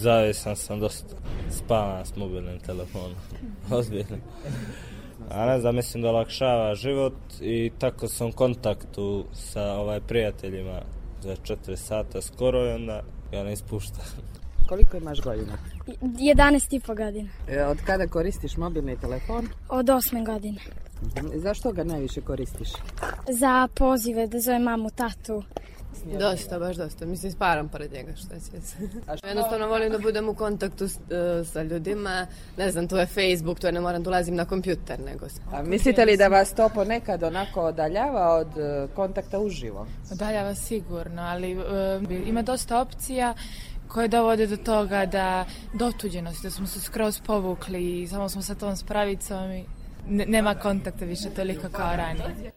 Zavisan sam dosta. Spavam s mobilnim telefonom. Ozbiljno. A ne znam, mislim da olakšava život i tako sam u kontaktu sa prijateljima za 4 sata skoro i onda ga ne ispuštam. Koliko imaš godina? 11,5 godina. Od kada koristiš mobilni telefon? Od 8 godine. Zašto ga najviše koristiš? Za pozive, da zovem mamu, tatu. Dosta, baš dosta. Mislim, sparam pored njega, što je sve. Jednostavno volim da budem u kontaktu sa ljudima. Ne znam, to je Facebook, to je ne moram da ulazim na kompjuter, nego... A mislite li da vas to ponekad onako odaljava od kontakta uživo? Odaljava sigurno, ali ima dosta opcija koje dovode do toga do otuđenosti, da smo se skroz povukli i samo smo sa tom spravicom i nema kontakta više toliko kao ranije.